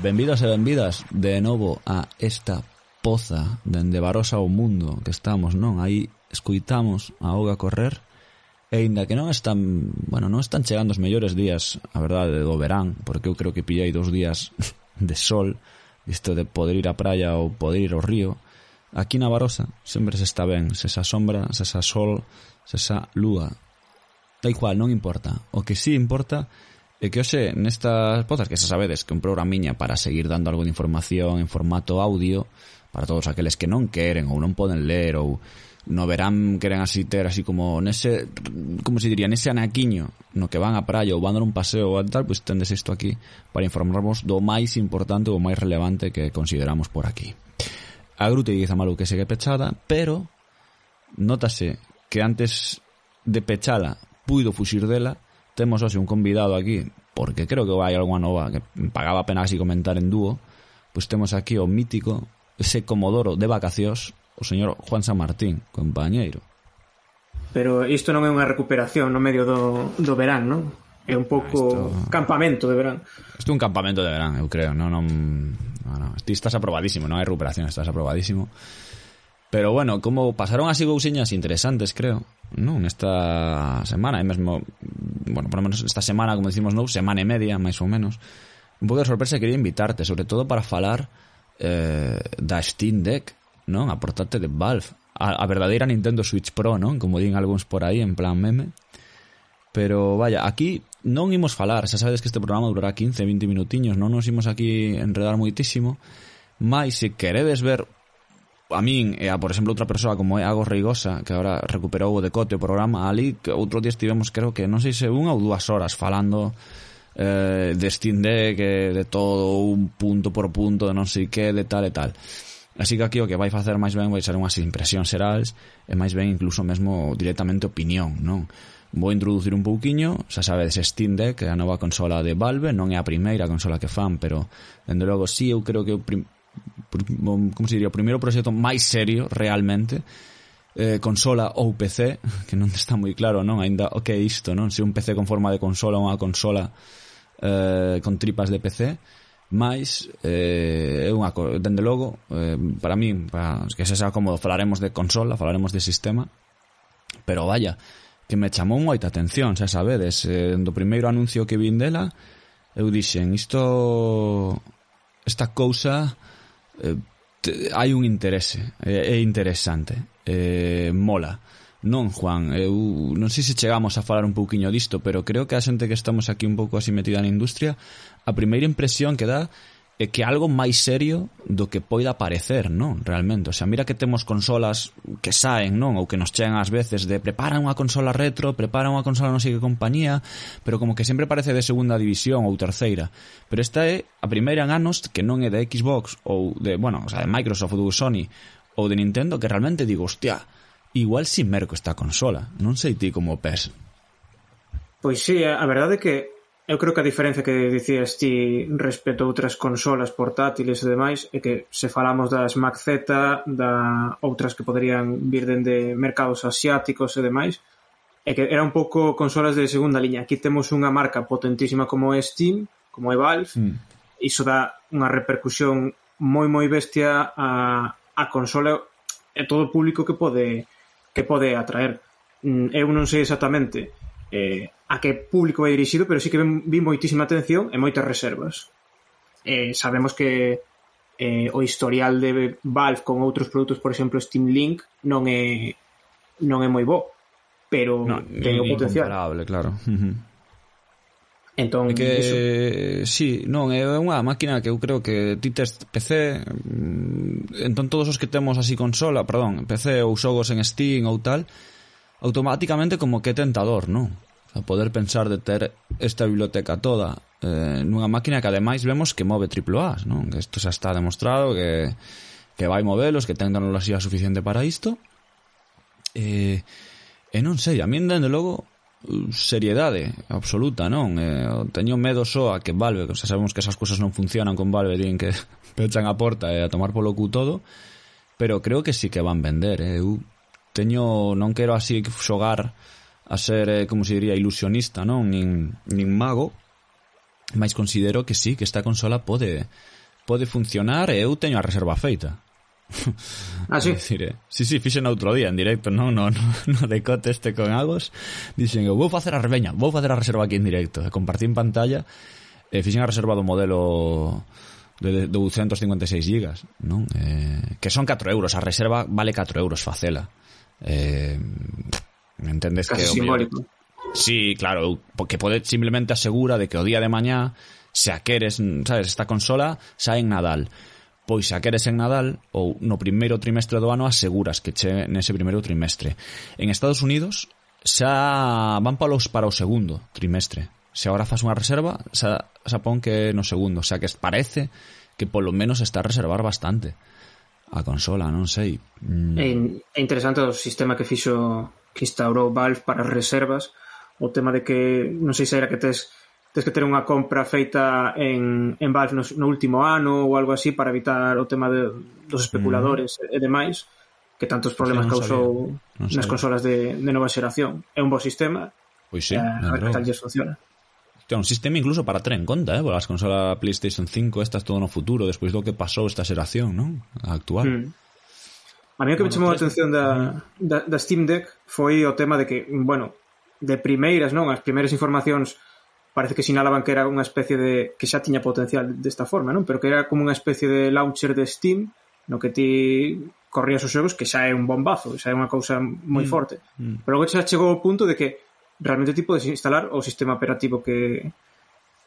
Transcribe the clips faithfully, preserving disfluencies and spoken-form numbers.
Benvidas e benvidas de novo a esta poza dende Barosa ao mundo que estamos, non? Aí escoitamos a auga correr e ainda que non están, bueno, non están chegando os mellores días, a verdade, do verán, porque eu creo que pillei dos días de sol, isto de poder ir á praia ou poder ir ao río. Aquí na Barosa sempre se está ben, se esa sombra, se esa sol, se esa lúa. Da igual, non importa. O que sí importa é que hoxe nestas pozas, que xa sabedes que un programiña para seguir dando algo de información en formato audio para todos aqueles que non queren ou non poden ler ou no verán queren así ter así como nese, como se diría, nese anaquiño no que van á praia ou van dar un paseo ou tal, pois tendes isto aquí para informarvos do máis importante ou máis relevante que consideramos por aquí. A Gruta de Guizamalu que segue pechada, pero nótase que antes de pechala puido fuxir dela. Temos hoxe un convidado aquí, porque creo que vai alguna nova que pagaba a pena así comentar en dúo. Pois temos aquí o mítico, ese comodoro de vacacións, o señor Juan San Martín, compañeiro. Pero isto non é unha recuperación no medio do, do verán, non? É un pouco esto... campamento de verán. Isto é un campamento de verán, eu creo. Non, non, non, non. Ti estás aprobadísimo, non hai recuperación, estás aprobadísimo. Pero bueno, como pasaron así cousiñas interesantes, creo, non? Nesta semana, e mesmo, bueno, por lo menos esta semana, como decimos, non, semana e media, máis ou menos, un pouco de sorpresa quería invitarte, sobre todo para falar eh, da Steam Deck, non? A portátil de Valve, a, a verdadeira Nintendo Switch Pro, non? Como din algúns por aí, en plan meme. Pero, vaya, aquí non imos falar, xa sabedes que este programa durará quince, vinte minutiños, non nos imos aquí enredar moitísimo, mas se queredes ver a min e a, por exemplo, outra persoa como é Agos Reigosa, que agora recuperou o decote o programa ali, que outro día estivemos, creo que, non sei se unha ou dúas horas falando eh, de Steam Deck, de todo, un punto por punto, de non sei que, de tal e tal. Así que aquí o que vai facer máis ben vai ser unhas impresións xerais e máis ben incluso mesmo directamente opinión, non? Vou introducir un pouquiño, xa sabedes, Steam Deck, a nova consola de Valve, non é a primeira consola que fan, pero, dende logo, sí, eu creo que o prim- como se diría, o primeiro proxecto máis serio realmente, eh, consola ou P C, que non está moi claro, non, ainda o que é isto, non, se un P C con forma de consola ou unha consola eh, con tripas de P C, máis é eh, unha, dende logo eh, para mí, para que se xa cómodo, falaremos de consola, falaremos de sistema, pero vaya, que me chamou moita atención, xa sabedes, eh, do primeiro anuncio que vin dela, eu dixen, isto, esta cousa Eh, te, hai un interese, é, é interesante, eh, mola, non, Juan? Eu non sei se chegamos a falar un pouquiño disto, pero creo que a xente que estamos aquí un pouco así metida na industria, a primeira impresión que dá é que algo máis serio do que poida parecer, non? Realmente, o sea, mira que temos consolas que saen, non? Ou que nos chegan ás veces de preparan unha consola retro, preparan unha consola non sei que compañía, pero como que sempre parece de segunda división ou terceira. Pero esta é a primeira en anos que non é de Xbox ou de, bueno, o sea, de Microsoft ou de Sony ou de Nintendo, que realmente digo, hostia, igual si merco esta consola. Non sei ti como pes. Pois sí, a verdade é que eu creo que a diferencia que dicías ti respecto a outras consolas portátiles e demais é que se falamos das Mac Z, da outras que poderían vir dende mercados asiáticos e demais, é que era un pouco consolas de segunda liña. Aquí temos unha marca potentísima como é Steam, como é Valve, mm. iso dá unha repercusión moi moi bestia a, a consola e todo o público que pode que pode atraer. Eu non sei exactamente eh, a que público vai dirixido, pero sí que vi moitísima atención e moitas reservas. Eh, sabemos que eh, o historial de Valve con outros produtos, por exemplo Steam Link, non é non é moi bo, pero no, ten o potencial. Incomparable, claro. Entón, é que, iso... sí, non, é unha máquina que eu creo que ti tes P C, entón todos os que temos así consola, perdón, P C ou xogos en Steam ou tal, automáticamente como que é tentador, non? A poder pensar de ter esta biblioteca toda eh, nunha máquina que ademais vemos que move triple A, non? Que isto xa está demostrado que, que vai movelos, que ten tecnoloxía suficiente para isto. E, e non sei, a min dende logo seriedade absoluta, non? Eh, teño medo só a que Valve, que xa sabemos que esas cousas non funcionan con Valve, din que pechan a porta e a tomar polo cu todo, pero creo que sí que van vender, eh? Eu teño, non quero así xogar a ser, eh, como se diría, ilusionista, non? Nin, nin mago, mas considero que sí, que esta consola pode pode funcionar e eu teño a reserva feita. Ah, sí? Decir, eh, sí, sí, fixen outro día en directo, non no, no, no decote este con Agos. Dixen, eu vou facer a reveña, vou facer a reserva aquí en directo. E compartí en pantalla e fixen a reserva do modelo de doscientos cincuenta e seis gigas, non? Eh, que son catro euros, a reserva vale catro euros facela. Eh, me entendes? Casi que simbólico. Mellor... Sí, claro, porque pode simplemente asegura de que o día de mañá se a queres, sabes, esta consola sae en Nadal. Pois se a queres en Nadal ou no primeiro trimestre do ano aseguras que che nese primeiro trimestre. En Estados Unidos xa van para, los, para o segundo trimestre. Se agora faz unha reserva, xa, xa pon que no segundo. O sea que parece que polo menos está a reservar bastante a consola, non sei. Mm. É, é interesante o sistema que fixo, que instaurou Valve para as reservas, o tema de que non sei se era que tes tens que ter unha compra feita en, en Valve no, no último ano ou algo así para evitar o tema de, dos especuladores mm. e demais, que tantos problemas sí, causou no nas consolas de, de nova xeración. É un bo sistema. Pois sí, eh, a ver que tal lles funciona. É un sistema incluso para ter en conta, eh, as consolas PlayStation cinco estas todo no futuro, despois do que pasou esta xeración, non? A actual. Mm. A mí o que bueno, me chamou a atención da, da, da Steam Deck foi o tema de que, bueno, de primeiras, non? As primeiras informacións parece que sinalaban que era unha especie de... que xa tiña potencial desta forma, non? Pero que era como unha especie de launcher de Steam no que ti corrías os xogos, que xa é un bombazo, xa é unha cousa moi mm. forte. Mm. Pero logo xa chegou ao punto de que realmente ti podes instalar o sistema operativo que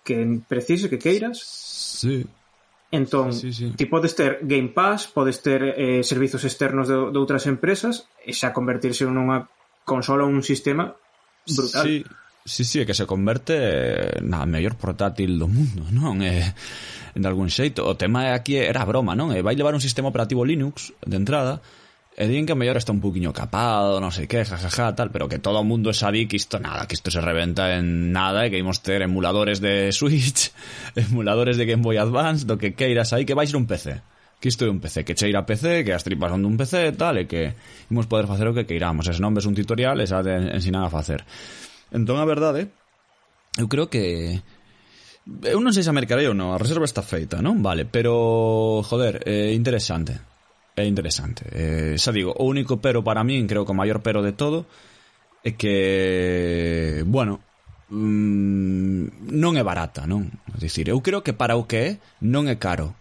que precises, que queiras. Sí. Entón, sí, sí, sí. ti podes ter Game Pass, podes ter eh, servizos externos de, de outras empresas e xa convertirse nunha consola ou un sistema brutal. Sí. Sí, sí, é que se converte na mellor portátil do mundo, non? É, de algún xeito. O tema aquí era broma, non? E vai levar un sistema operativo Linux de entrada e din que a mellor está un poquinho capado, non sei que, jajaja, tal, pero que todo o mundo sabe que isto nada, que isto se reventa en nada e que imos ter emuladores de Switch, emuladores de Game Boy Advance, do que queiras aí, que vai ser un P C. Que isto é un P C, que cheira a P C, que as tripas son dun P C, tal, e que imos poder facer o que queiramos. E se non ves un tutorial, e xa te ensinan a facer. Entón, a verdade, eu creo que... Eu non sei se a mercarei ou non, a reserva está feita, non? Vale, pero, joder, é interesante. É interesante. Eh, xa digo, o único pero para min, creo que o maior pero de todo, é que, bueno, mmm, non é barata, non? É dicir, eu creo que para o que é, non é caro.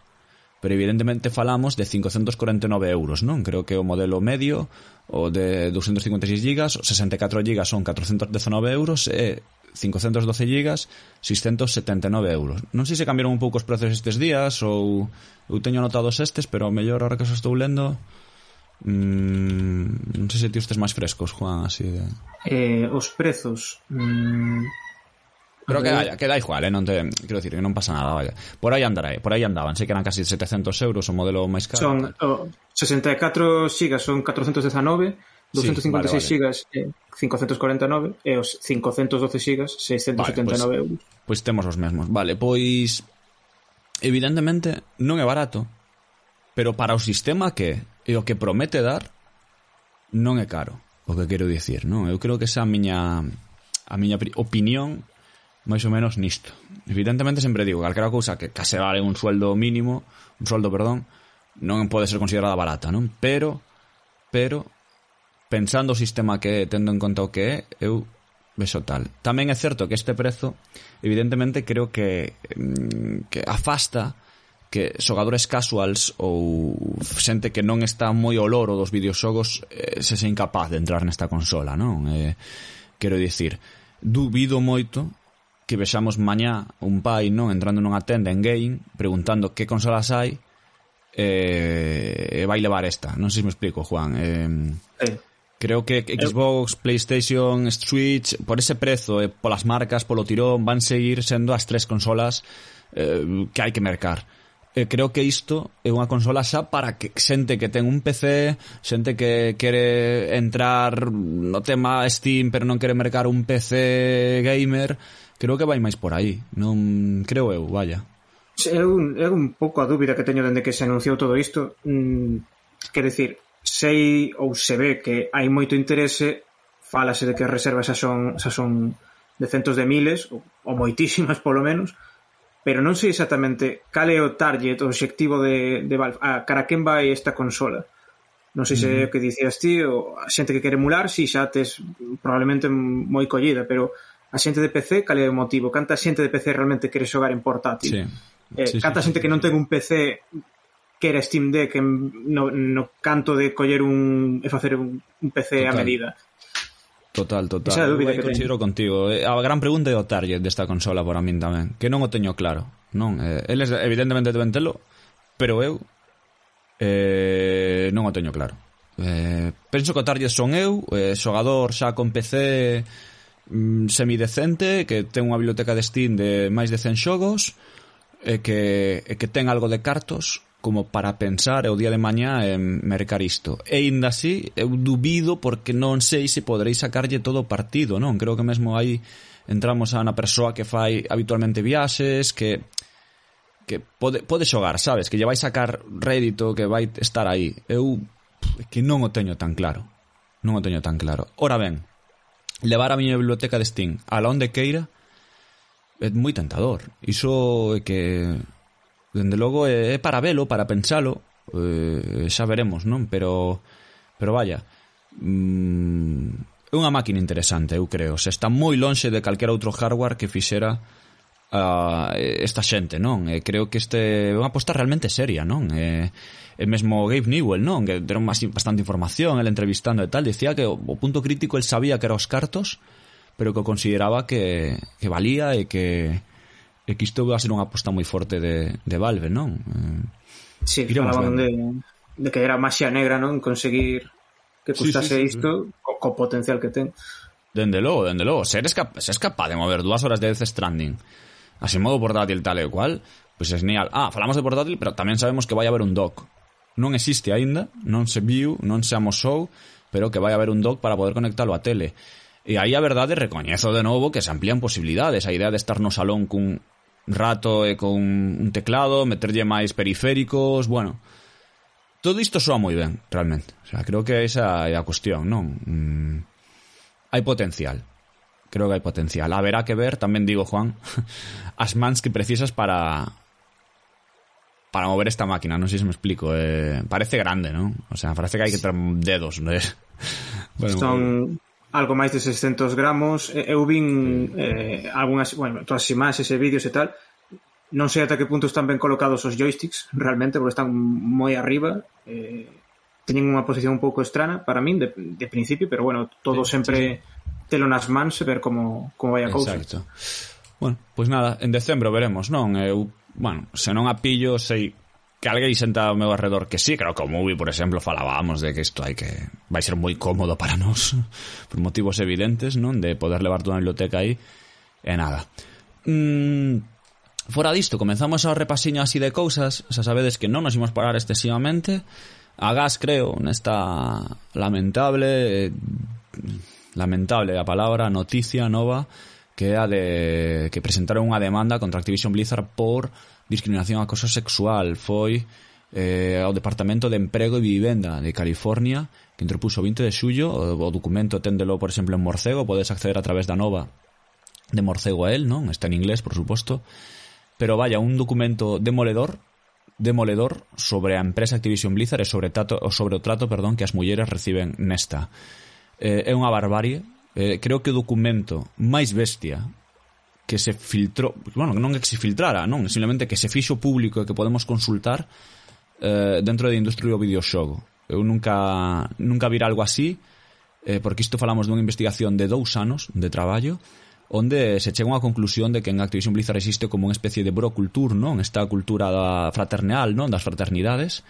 Pero evidentemente falamos de cincocentos corenta e nove euros, non? Creo que o modelo medio, o de doscientos cincuenta e seis gigas, sesenta e catro gigas son catrocentos dezanove euros e cincocentos doce gigas seiscentos setenta e nove euros. Non sei se cambiaron un pouco os prezos estes días ou eu teño anotados estes, pero mellor ahora que os estou lendo mmm, non sei se ti estes máis frescos, Juan, así de... Eh, os prezos... Mmm... Pero que, vaya, que da igual, eh? Non te, quero decir, que non pasa nada, vaya. Por aí andará, por aí andaban, sei que eran casi setecientos euros o modelo máis caro. Son oh, sesenta e catro gigas son catrocentos dezanove, doscientos cincuenta e seis sí, vale, vale. gigas eh, cincocentos corenta e nove e os cincocentos doce gigas seiscentos setenta e nove vale, euros. Pois temos os mesmos. Vale, pois evidentemente non é barato, pero para o sistema que e o que promete dar non é caro, o que quero dicir, non? Eu creo que esa a miña a miña opinión máis ou menos nisto. Evidentemente sempre digo, calquera cousa que case vale un sueldo mínimo, un sueldo, perdón, non pode ser considerada barata, non? Pero, pero, pensando o sistema que é, tendo en conta o que é, eu vexo tal. Tamén é certo que este prezo, evidentemente, creo que, que afasta que xogadores casuals ou xente que non está moi ao loro dos videoxogos eh, se se incapaz de entrar nesta consola, non? Eh, quero dicir, dubido moito que vexamos mañá un pai, non, entrando nunha tenda en game preguntando que consolas hai e eh, vai levar esta. Non sei se me explico, Juan. Eh, eh. Creo que Xbox, PlayStation, Switch, por ese prezo e polas marcas, polo tirón, van seguir sendo as tres consolas eh, que hai que mercar. Eh, creo que isto é unha consola xa para que xente que ten un P C, xente que quere entrar no tema Steam pero non quere mercar un P C gamer. Creo que vai máis por aí, non creo eu, vaya. É un, é un pouco a dúbida que teño dende que se anunciou todo isto. Mm, quer decir, sei ou se ve que hai moito interese, fálase de que as reservas xa son, xa son de centos de miles, ou, ou moitísimas polo menos, pero non sei exactamente cal é o target, o obxectivo de, de Valve, a cara quen vai esta consola. Non sei se é o que dicías ti, ou a xente que quere emular, si xa tes probablemente moi collida, pero a xente de P C, cal é o motivo? Canta xente de P C realmente quere xogar en portátil? Sí. Eh, sí, canta sí, xente sí, que non sí. ten un P C que era Steam Deck no, no canto de coller un e facer un, un P C Total. a medida. Total, total. Esa é a dúbida Eu que considero contigo. A gran pregunta é o target desta consola para min tamén, que non o teño claro, non? Eh, eles evidentemente deben telo, pero eu eh, non o teño claro. Eh, penso que o target son eu, eh, xogador xa con P C mm, semidecente, que ten unha biblioteca de Steam de máis de cen xogos, e que, e que ten algo de cartos como para pensar o día de mañá en mercar isto. E ainda así, eu dubido porque non sei se poderei sacarlle todo o partido, non? Creo que mesmo aí entramos a unha persoa que fai habitualmente viaxes, que que pode, pode xogar, sabes? Que lle vai sacar rédito, que vai estar aí. Eu que non o teño tan claro. Non o teño tan claro. Ora ben, levar a miña biblioteca de Steam a la onde queira é moi tentador. Iso é que dende logo é para velo, para pensalo, eh, xa veremos, non? Pero pero vaya, mm, é unha máquina interesante, eu creo. Se está moi lonxe de calquera outro hardware que fixera uh, esta xente, non? E creo que este é unha aposta realmente seria, non? E, e mesmo Gabe Newell, non? Que deron bastante información, el entrevistando e tal, dicía que o, o punto crítico el sabía que era os cartos, pero que consideraba que, que valía e que e que isto va a ser unha aposta moi forte de, de Valve, non? Eh, sí, falaban de, de que era maxia negra, non? Conseguir que custase sí, sí, sí, isto sí. Co, co potencial que ten. Dende logo, dende logo. Se eres, cap, se eres capaz de mover dúas horas de Death Stranding así modo portátil tal e cual, pois pues é genial. Ah, falamos de portátil, pero tamén sabemos que vai haber un dock. Non existe aínda, non se viu, non se amosou, pero que vai haber un dock para poder conectalo á tele. E aí a verdade recoñezo de novo que se amplían posibilidades. A idea de estar no salón cun rato e con un teclado, meterlle máis periféricos, bueno, todo isto soa moi ben, realmente. O sea, creo que esa é a cuestión, non? Mm, hai potencial. Creo que hai potencial. Haberá que ver, tamén digo, Juan, as mans que precisas para para mover esta máquina, non sei se me explico. Eh, parece grande, non? O sea, parece que hai que ter dedos, non é? Bueno, son algo máis de seiscentos gramos. Eu vin eh, algunhas, bueno, todas as imaxes e vídeos e tal. Non sei ata que punto están ben colocados os joysticks realmente, porque están moi arriba. Eh, teñen unha posición un pouco extraña para min de, de principio, pero bueno, todo sí, sempre sí. Telo nas mans e ver como, como vai a cousa. Exacto. Bueno, pois pues nada, en decembro veremos, non? Eu, bueno, se non a pillo, sei que alguén senta ao meu arredor que sí, creo que o Movie, por exemplo, falábamos de que isto hai que vai ser moi cómodo para nós por motivos evidentes, non? De poder levar toda a biblioteca aí e nada. Mm, fora disto, comenzamos a repasiño así de cousas. Xa sabedes que non nos imos parar excesivamente. A gas, creo, nesta lamentable eh, lamentable a palabra noticia nova que é a de que presentaron unha demanda contra Activision Blizzard por discriminación e acoso sexual. Foi eh, ao Departamento de Emprego e Vivenda de California que interpuso o vinte de xullo. O, o documento téndelo, por exemplo, en morcego, podes acceder a través da nova de morcego a él, non? Está en inglés, por suposto, pero vaya, un documento demoledor demoledor sobre a empresa Activision Blizzard e sobre, tato, sobre o trato, perdón, que as mulleres reciben nesta. Eh, é unha barbarie. Eh, creo que o documento máis bestia que se filtrou, bueno, non é que se filtrara, non, simplemente que se fixo público e que podemos consultar eh, dentro da industria do videoxogo. Eu nunca nunca vira algo así, eh, porque isto falamos dunha investigación de dous anos de traballo, onde se chega a unha conclusión de que en Activision Blizzard existe como unha especie de brocultur, non? Esta cultura da fraternal, non? Das fraternidades,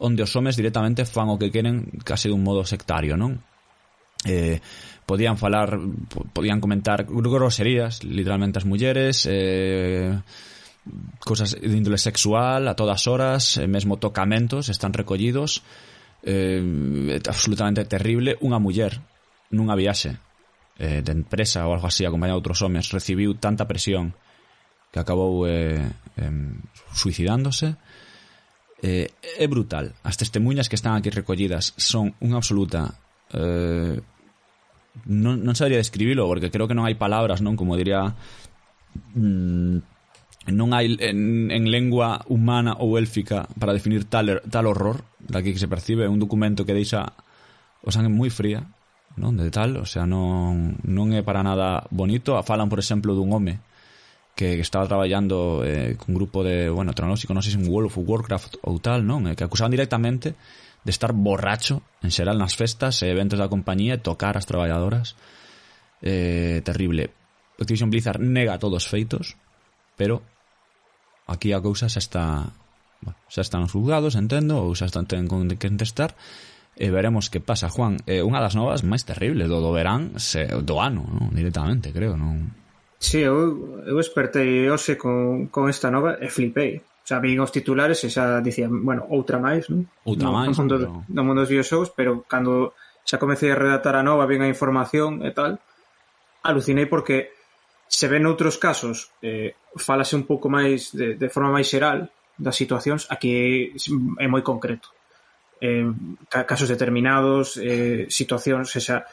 onde os homes directamente fan o que queren case dun modo sectario, non? Eh, podían falar, podían comentar groserías literalmente as mulleres, eh, cosas de índole sexual a todas horas, eh, mesmo tocamentos están recollidos. Eh, absolutamente terrible. Unha muller nunha viaxe eh, de empresa ou algo así acompañada de outros homes recibiu tanta presión que acabou eh, eh, suicidándose. Eh, é brutal. As testemunhas que están aquí recollidas son unha absoluta eh, non, non sabría describilo porque creo que non hai palabras, non? Como diría mmm, non hai en, en lengua humana ou élfica para definir tal, tal horror daqui que se percibe. É un documento que deixa o sangue moi fría, non? De tal, o sea, non, non é para nada bonito. Falan, por exemplo, dun home que estaba traballando eh, con un grupo de, bueno, tecnolóxico, non sei se en World of Warcraft ou tal, non? Que acusaban directamente de estar borracho en xeral nas festas e eventos da compañía e tocar as traballadoras. Eh, terrible. Activision Blizzard nega todos os feitos, pero aquí a cousa xa está, bueno, xa están os juzgados, entendo, ou xa están ten que contestar, e veremos que pasa. Juan, eh, unha das novas máis terribles do, do verán, se, do ano, non? Directamente, creo, non? Sí, eu, eu espertei hoxe con, con esta nova e flipei. O sea, vin os titulares e xa dicían, bueno, outra máis, non? Outra no, máis, no mundo, pero... no mundo dos videoxogos, pero cando xa comecei a redactar a nova, vin a información e tal, alucinei porque se ven outros casos, eh, falase un pouco máis de, de forma máis xeral das situacións, aquí é moi concreto. Eh, casos determinados, eh, situacións, o sea,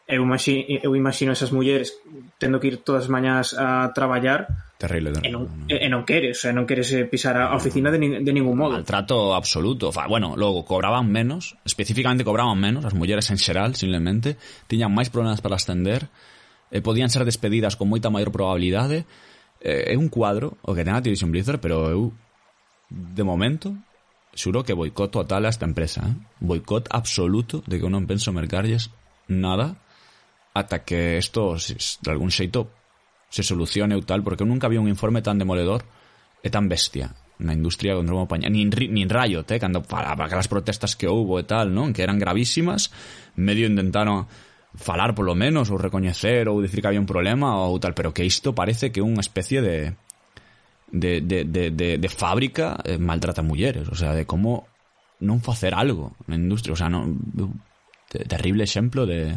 eu imagino, eu imagino esas mulleres tendo que ir todas as mañás a traballar. Terrible, terrible. E non, e non queres, o sea, non queres pisar a oficina de, ni, de ningún modo. Maltrato absoluto. Fa, bueno, logo cobraban menos, especificamente cobraban menos, as mulleres en xeral, simplemente, tiñan máis problemas para ascender, eh, podían ser despedidas con moita maior probabilidade. Eh, é un cuadro o que ten a Activision Blizzard, pero eu, de momento, xuro que boicot total a esta empresa, eh? Boicot absoluto de que eu non penso mercarlles nada ata que isto, de algún xeito, se solucione ou tal, porque eu nunca vi un informe tan demoledor e tan bestia na industria contra unha compañía, nin, nin Riot, eh, cando para, para aquelas protestas que houbo e tal, non? Que eran gravísimas, medio intentaron falar polo menos, ou recoñecer, ou dicir que había un problema ou tal, pero que isto parece que é unha especie de de, de, de, de, de fábrica eh, maltrata mulleres, o sea, de como non facer algo na industria, o sea, non, de, terrible exemplo de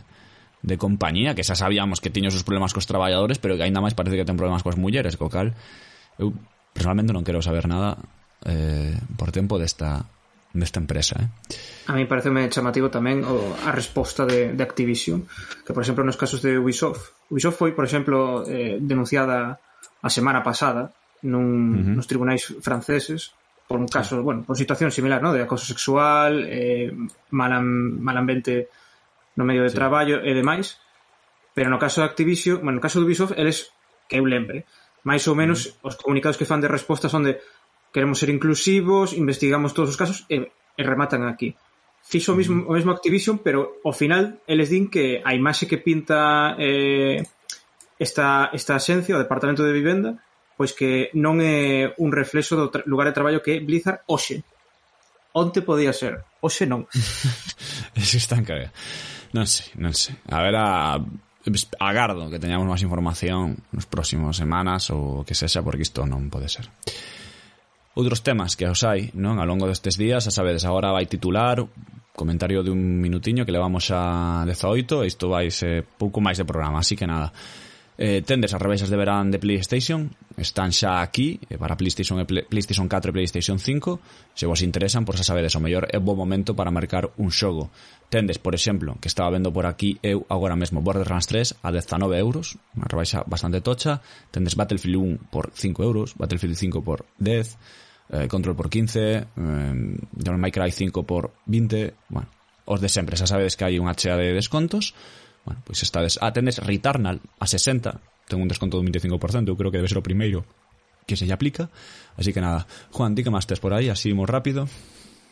de compañía que xa sabíamos que tiña os seus problemas cos traballadores, pero que aínda máis parece que ten problemas coas mulleres, co cal eu personalmente non quero saber nada eh, por tempo desta desta empresa, eh. A mí pareceme chamativo tamén o, a resposta de, de Activision, que por exemplo nos casos de Ubisoft Ubisoft foi, por exemplo, eh, denunciada a semana pasada nun, uh-huh. nos tribunais franceses por un caso, sí. bueno, por situación similar, ¿no? De acoso sexual, eh, mal, mal ambiente no medio de sí. traballo e demais, pero no caso de Activision, bueno, no caso de Ubisoft, eles, que eu lembre, máis ou menos mm. os comunicados que fan de resposta son de queremos ser inclusivos, investigamos todos os casos e, e rematan aquí. Fixo mm. o mesmo, o mesmo Activision, pero ao final eles din que a imaxe que pinta eh, esta, esta axencia, o Departamento de Vivenda, pois que non é un reflexo do tra- lugar de traballo que é Blizzard hoxe. Onte podía ser, hoxe non. Eso está en caga. Non sei, non sei. A ver, a, agardo que teñamos máis información nos próximos semanas ou que sexa, porque isto non pode ser. Outros temas que os hai, non? Ao longo destes días, a sabedes, agora vai titular, comentario de un minutiño que levamos a dezaoito, e isto vai ser pouco máis de programa, así que nada. Eh, tendes as rebaixas de verán de PlayStation, están xa aquí para PlayStation, e Play, PlayStation catro e PlayStation cinco. Se vos interesan, por xa sabedes, o mellor é bo momento para mercar un xogo. Tendes, por exemplo, que estaba vendo por aquí eu agora mesmo, Borderlands tres a dezanove euros, unha rebaixa bastante tocha. Tendes Battlefield uno por cinco euros, Battlefield cinco por dez, eh, Control por quince, eh, Devil May Cry cinco por vinte. Bueno, os de sempre, xa sabedes que hai unha chea de descontos. Bueno, pois pues estades... Ah, tendes Returnal a sesenta, ten un desconto do veinticinco por ciento, eu creo que debe ser o primeiro que se lle aplica. Así que nada, Juan, di que máis tes por aí, así moi rápido.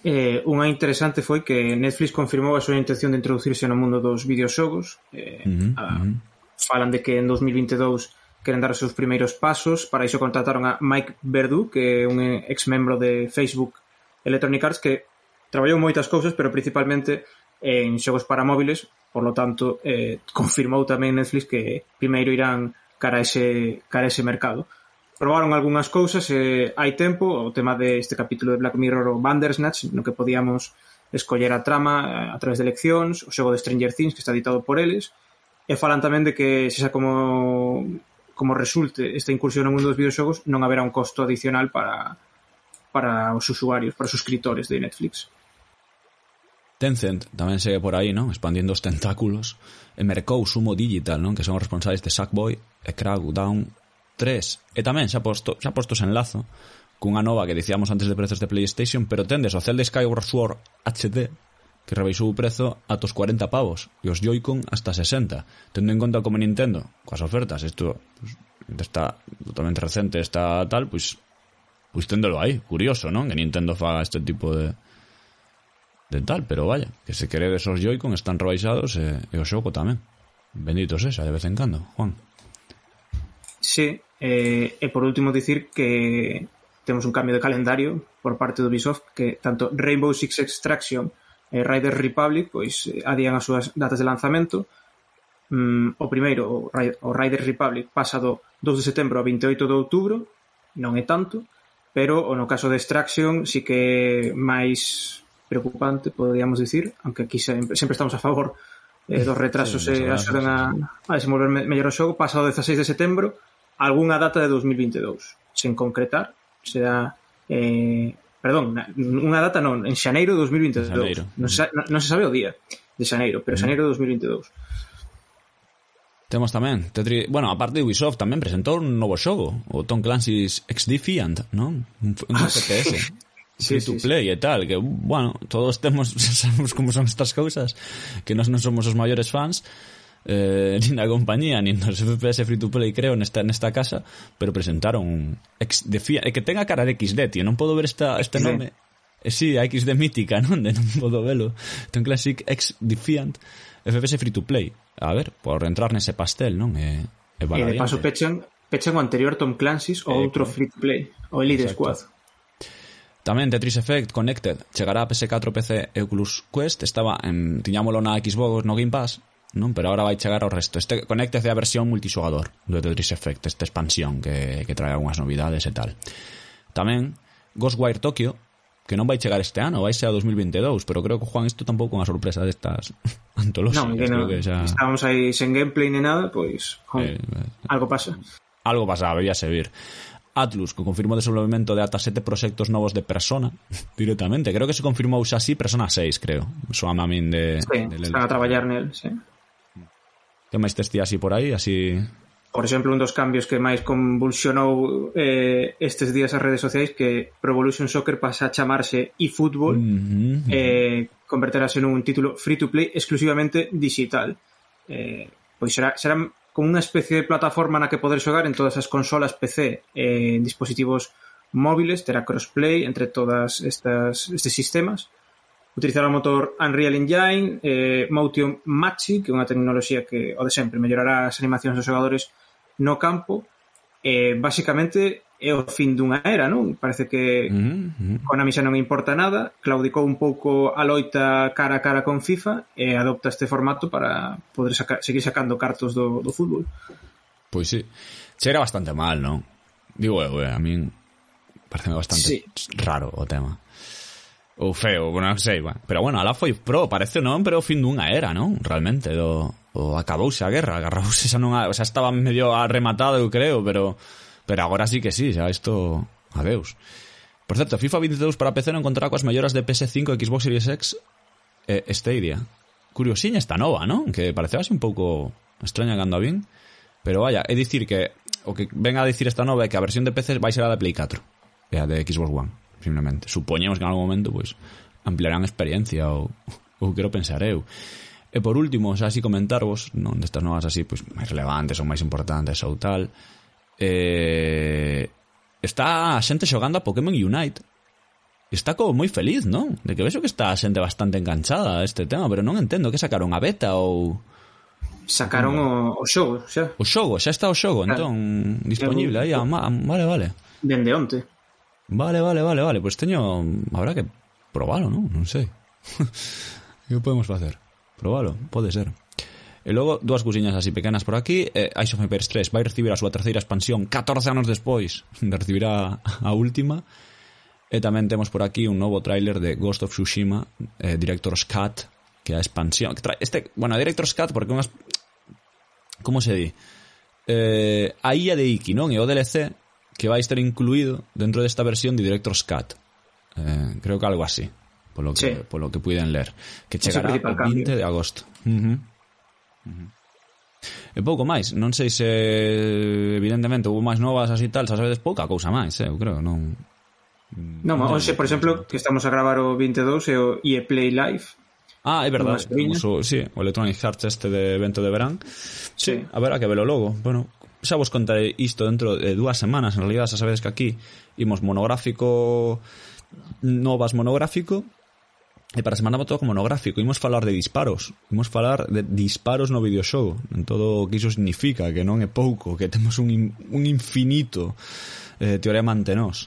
Eh, unha interesante foi que Netflix confirmou a súa intención de introducirse no mundo dos videoxogos. Eh, uh-huh, a, uh-huh. Falan de que en dos mil veintidous queren dar os seus primeiros pasos. Para iso contrataron a Mike Verdu, que é un ex-membro de Facebook Electronic Arts, que traballou moitas cousas, pero principalmente en xogos para móviles. Por lo tanto, eh, confirmou tamén Netflix que primeiro irán cara a ese, cara a ese mercado. Probaron algunhas cousas, eh, hai tempo, o tema deste capítulo de Black Mirror o Bandersnatch, no que podíamos escoller a trama a través de eleccións, o xogo de Stranger Things, que está editado por eles, e falan tamén de que, se xa como, como resulte esta incursión no mundo dos videoxogos, non haberá un costo adicional para, para os usuarios, para os suscriptores de Netflix. Tencent tamén segue por aí, non? Expandindo os tentáculos. E mercou Sumo Digital, non? Que son os responsables de Sackboy e Crackdown tres. E tamén xa posto, xa postos en lazo cunha nova que dicíamos antes de prezos de PlayStation, pero tendes o Zelda Skyward Sword H D que rebaixou o prezo ata os cuarenta pavos e os Joy-Con hasta sesenta, tendo en conta como Nintendo coas ofertas, isto pues, está totalmente recente, está tal, pois pues, pues téndolo aí, curioso, non? Que Nintendo faga este tipo de de tal, pero vaya, que se queredes os Joy-Con están rebaixados e, e o xogo tamén, bendito sexa de vez en cando, Juan. Sí, eh, e por último dicir que temos un cambio de calendario por parte do Ubisoft, que tanto Rainbow Six Extraction e Riders Republic pois adían as súas datas de lanzamento. Mm, o primeiro, o Riders Republic, pasa do dous de setembro a veintioito de outubro, non é tanto, pero no caso de Extraction sí que é máis preocupante, podríamos dicir, aunque aquí sempre, sempre estamos a favor eh, dos retrasos sí, e axudan a, a desenvolver me, mellor o xogo. Pasa o dezasseis de setembro algunha data de dos mil veintidous, sen concretar, será eh, perdón, unha data non, en xaneiro de dos mil veintidous. Xaneiro. Non, se, non, non se sabe o día de xaneiro, pero xaneiro de dos mil veintidous. Temos tamén Tetris, bueno, a parte de Ubisoft tamén presentou un novo xogo, o Tom Clancy's X Defiant, non? Un, un ah, F P S. Sí. Free to play sí, sí. E tal, que bueno, todos temos sabemos como son estas cousas, que nós non somos os maiores fans. Eh, nin da compañía, nin dos F P S free to play, creo, nesta, nesta casa, pero presentaron un X Defiant, que tenga cara de X D, tío, non podo ver esta, este nome. Eh, sí, a X D mítica, non? De non podo velo. Ten Classic X Defiant F P S free to play. A ver, por entrar nese pastel, non? E, e, e de paso pechan, pechan o anterior Tom Clancy's ou outro eh, free to play, o Elite Squad. Tamén Tetris Effect Connected chegará a P S catro, P C e Oculus Quest. Estaba en, tiñámolo na Xbox no Game Pass, non? Pero agora vai chegar ao resto. Este Connected é a versión multixogador do Tetris Effect, esta expansión que, que trae algunhas novidades e tal. Tamén Ghostwire Tokyo, que non vai chegar este ano, vai ser a dos mil veintidous, pero creo que, Juan, isto tampouco é unha sorpresa destas antolóxicas. Non, que non, que xa... estábamos aí sen gameplay ni nada, pois pues, eh, algo pasa. Algo pasaba, debía servir. Atlus, que confirmou o desenvolvemento de ata sete proxectos novos de Persona directamente. Creo que se confirmou xa así Persona seis, creo. Soame a min de... Sí, de están a traballar nel, sí. Que máis testía así por aí, así... Por exemplo, un dos cambios que máis convulsionou eh, estes días as redes sociais, que Pro Evolution Soccer pasa a chamarse eFootball, mm-hmm. eh, converterase nun título free-to-play exclusivamente digital. Eh, pois será, será como unha especie de plataforma na que poder xogar en todas as consolas P C e en dispositivos móviles, terá crossplay entre todas estas estes sistemas. Utilizará o motor Unreal Engine, eh, Motion Matching, que é unha tecnoloxía que, o de sempre, mellorará as animacións dos xogadores no campo. Eh, basicamente é o fin dunha era, non? Parece que mm-hmm. Konami xa non importa nada, claudicou un pouco a loita cara a cara con FIFA e adopta este formato para poder saca, seguir sacando cartos do, do fútbol. Pois sí, cheira bastante mal, non? Digo, eh, a min parece bastante sí. raro o tema. Ou feo, bueno, non sei, bueno. Pero bueno, alá foi pro, parece non, pero o fin dunha era, non? Realmente, do, o acabouse a guerra, agarrabouse xa nunha, o sea, estaba medio arrematado, eu creo, pero pero agora sí que sí, xa isto, adeus. Por certo, FIFA veintidous para P C non contará coas melloras de P S cinco, Xbox Series X e Stadia. Curiosiña esta nova, non? Que pareceu así un pouco extraña cando a vin, pero vaya, é dicir que o que ven a dicir esta nova é que a versión de P C vai ser a de Play catro e a de Xbox One. Simplemente. Supoñemos que en algún momento pues ampliarán experiencia ou, ou quero pensar eu. E por último, xa así comentarvos, non destas novas así pues máis relevantes ou máis importantes ou tal, eh, está a xente xogando a Pokémon Unite. Está como moi feliz, non? De que vexo que está a xente bastante enganchada a este tema, pero non entendo que sacaron a beta ou... Sacaron o, o xogo, xa. O xogo, xa está o xogo, claro. Entón, disponible aí, a, a, vale, vale. Dende onte. Vale, vale, vale, vale. Pues teño... Habrá que probalo, non? Non sei. Que podemos facer? Probalo, pode ser. E logo, dúas cousiñas así pequenas por aquí. eh, Ice of Empires tres vai recibir a súa terceira expansión catorce anos despois de recibir a, a última. E tamén temos por aquí un novo tráiler de Ghost of Tsushima, eh, Director's Cut, que é a expansión que trae, este, bueno, Director's Cut porque unhas... Como se di? Eh, a illa de Iki, non? E o D L C que vai estar incluído dentro desta versión de Director's Cut. Eh, creo que algo así, polo que, sí. polo que puiden ler. Que chegará o veinte de agosto. Uh-huh. Uh-huh. E pouco máis, non sei se evidentemente houve máis novas así tal, xa sabedes, pouca cousa máis, eh, eu creo, non... Non, non hoxe, por exemplo, que estamos a gravar o vinte e dous e o E A Play Live. Ah, é verdade, o, sí, o Electronic Arts este de evento de verán. Sí, sí. A ver, a que velo logo. Bueno, xa vos contarei isto dentro de dúas semanas, en realidad, xa sabedes que aquí imos monográfico, novas monográfico, e para a semana todo como monográfico imos falar de disparos, imos falar de disparos no videoxogo, en todo o que iso significa, que non é pouco, que temos un, in, un infinito eh, teorema ante nós.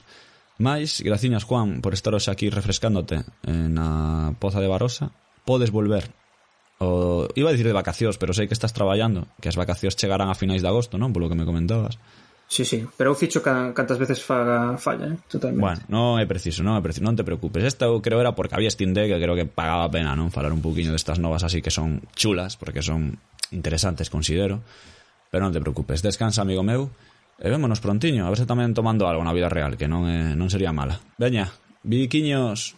Mais, graciñas, Juan, por estar hoxe aquí refrescándote na Poza de Barosa. Podes volver o, iba a dicir de vacacións, pero sei que estás traballando, que as vacacións chegarán a finais de agosto, non? Polo que me comentabas. Sí, sí, pero eu ficho cantas veces faga falla, eh? Totalmente. Bueno, non é preciso, non é preciso, non te preocupes. Esta eu creo era porque había Steam Deck, que creo que pagaba a pena, non? Falar un poquinho destas novas así que son chulas, porque son interesantes, considero. Pero non te preocupes, descansa, amigo meu, e vémonos prontiño, a ver se tamén tomando algo na vida real, que non é, non sería mala. Veña, viquiños.